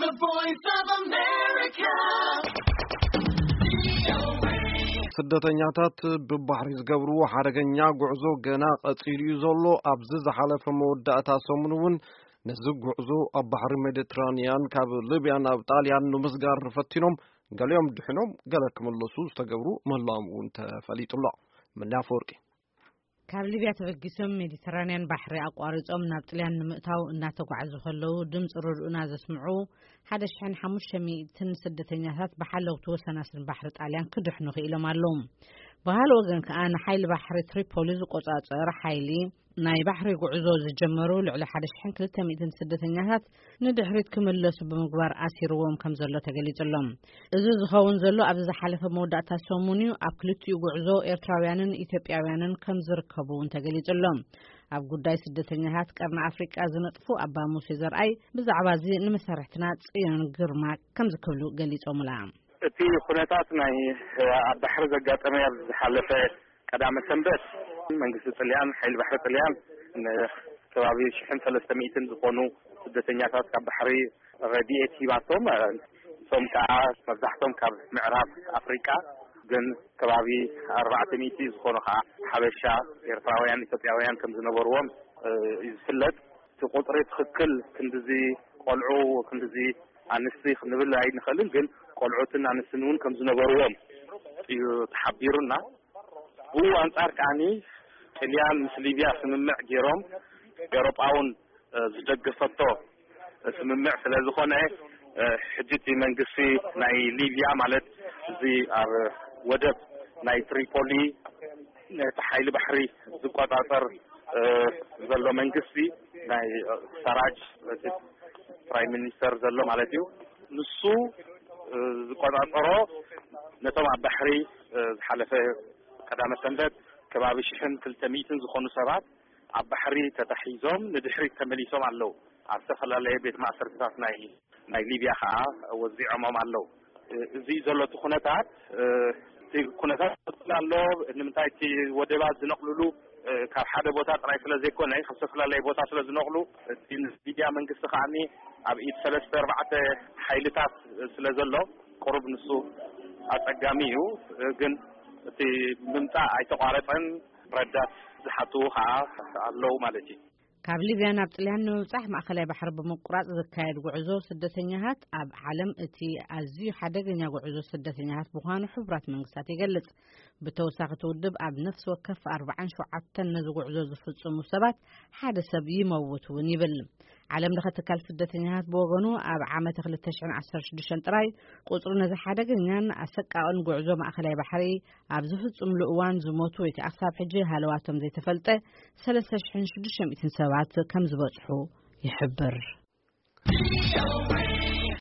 The Voice of America. ስደተኛታት ብባሕሪ ዝገብርዎ ሓደገኛ ጉዕዞ ገና ቀጺሉ እዩ ዘሎ። ኣብዚ ዝሓለፈ መወዳእታ ሰሙን እውን ነዚ ጉዕዞ ኣብ ባሕሪ ሜዲትራንያን ካብ ሊብያ ናብ ጣልያን ንምስጋር ፈቲኖም፣ ገሊኦም ድሕኖም፣ ገለ ክምለሱ ዝተገብሩ ምህላዎም እውን ተፈሊጡ ኣሎ። ምንያ ኣፈወርቂ። ካብ ሊብያ ተበጊሶም ሜዲተራንያን ባሕሪ ኣቋሪጾም ናብ ጥልያን ንምእታው እናተጓዓዙ ከለዉ፣ ድምፂ ርድኡና ዘስምዑ ሓደ ሽሕን ሓሙሽተ ሚእትን ስደተኛታት ብሓለውቲ ወሰናስን ባሕሪ ጣልያን ክድሕኑ ክኢሎም ኣለዉ። ብኻልእ ወገን ከኣ፣ ንሓይሊ ባሕሪ ትሪፖሊ ዝቆጻጸር ሓይሊ ናይ ባሕሪ ጉዕዞ ዝጀመሩ ልዕሊ ሓደ ሽሕን ክልተ ሚእትን ስደተኛታት ንድሕሪት ክምለሱ ብምግባር ኣሲርዎም ከም ዘሎ ተገሊጹ ኣሎ። እዚ ዝኸውን ዘሎ ኣብዚ ዝሓለፈ መወዳእታ ሰሙን እዩ። ኣብ ክልቲኡ ጉዕዞ ኤርትራውያንን ኢትዮጵያውያንን ከም ዝርከቡ እውን ተገሊጹ ኣሎ። ኣብ ጉዳይ ስደተኛታት ቀርኒ ኣፍሪቃ ዝነጥፉ ኣባ ሙሴ ዘርኣይ ብዛዕባ እዚ ንመሳርሕትና ጽዮን ግርማ ከምዚ ክብሉ ገሊጾምላ። እቲ ኩነታት ናይ ኣብ ባሕሪ ዘጋጠመ ኣብ ዝሓለፈ ቀዳመ ሰንበት መንግስቲ ጥልያን፣ ሓይሊ ባሕሪ ጥልያን ንከባቢ ሽሕን ሰለስተ ሚእትን ዝኾኑ ስደተኛታት ካብ ባሕሪ ረድኤት ሂባቶም። እቶም ከዓ መብዛሕቶም ካብ ምዕራብ ኣፍሪቃ፣ ግን ከባቢ ኣርባዕተ ሚእቲ ዝኾኑ ከዓ ሓበሻ፣ ኤርትራውያን፣ ኢትዮጵያውያን ከም ዝነበርዎም እዩ ዝፍለጥ። እቲ ቁፅሪ ትኽክል ክንድዚ ቆልዑ፣ ክንድዚ ኣንስቲ ክንብል ኣይንኽእልን፣ ግን ቆልዑትን ኣንስትን እውን ከም ዝነበርዎም እዩ ተሓቢሩና። ብኡ ኣንጻር ከዓኒ ጥልያን ምስ ሊብያ ስምምዕ ገይሮም፣ ኤውሮጳውን ዝደገፈቶ ስምምዕ ስለ ዝኾነ፣ ሕጂ እቲ መንግስቲ ናይ ሊብያ፣ ማለት እዚ ኣብ ወደብ ናይ ትሪፖሊ ነቲ ሓይሊ ባሕሪ ዝቆጻጸር ዘሎ መንግስቲ፣ ናይ ሰራጅ፣ እቲ ፕራይም ሚኒስተር ዘሎ ማለት እዩ፣ ንሱ ዝቆጻጸሮ፣ ነቶም ኣብ ባሕሪ ዝሓለፈ ቀዳመ ሰንበት ከባቢ ሽሕን ክልተ ሚእትን ዝኾኑ ሰባት ኣብ ባሕሪ ተታሒዞም ንድሕሪት ተመሊሶም ኣለዉ። ኣብ ዝተፈላለየ ቤት ማእሰርትታት ናይ፣ ናይ ሊብያ ኸዓ ወዚዖሞም ኣለዉ። እዚ ዘሎ እቲ ኩነታት፣ እቲ ኩነታት ይቕጽል ኣሎ። ንምንታይ? እቲ ወደባት ዝነቕሉሉ ካብ ሓደ ቦታ ጥራይ ስለ ዘይኮነ፣ ካብ ዝተፈላለየ ቦታ ስለ ዝነቕሉ፣ እቲ ሊብያ መንግስቲ ኸዓኒ ኣብ ኢድ ሰለስተ ኣርባዕተ ሓይልታት ስለ ዘሎ፣ ቁሩብ ንሱ ኣጸጋሚ እዩ። ግን እቲ ምምጻእ ኣይተቋረጸን። ረዳት ዝሓትዉ ኸዓ ኣለዉ ማለት እዩ። ካብ ሊብያ ናብ ጥልያን ንምብጻሕ ማእኸላይ ባሕሪ ብምቁራጽ ዝካየድ ጉዕዞ ስደተኛታት ኣብ ዓለም እቲ ኣዝዩ ሓደገኛ ጉዕዞ ስደተኛታት ምዃኑ ሕቡራት መንግስታት ይገልጽ። ብተወሳኺ እቲ ውድብ ኣብ ነፍሲ ወከፍ ኣርባዓን ሸውዓተን ነዚ ጉዕዞ ዝፍጽሙ ሰባት ሓደ ሰብ ይመውት እውን ይብል። ዓለም ለኸ ትካል ስደተኛታት ብወገኑ ኣብ ዓመተ ክልተ ሽሕን ዓሰርተ ሽዱሽተን ጥራይ ቁጽሩ ነዚ ሓደገኛን ኣሰቃቕን ጉዕዞ ማእኸላይ ባሕሪ ኣብ ዝፍጽምሉ እዋን ዝሞቱ ወይ ከዓ ክሳብ ሕጂ ሃለዋቶም ዘይተፈልጠ ሰለስተ ሽሕን ሽዱሽተ ሚእትን ሰባት ከም ዝበጽሑ ይሕብር።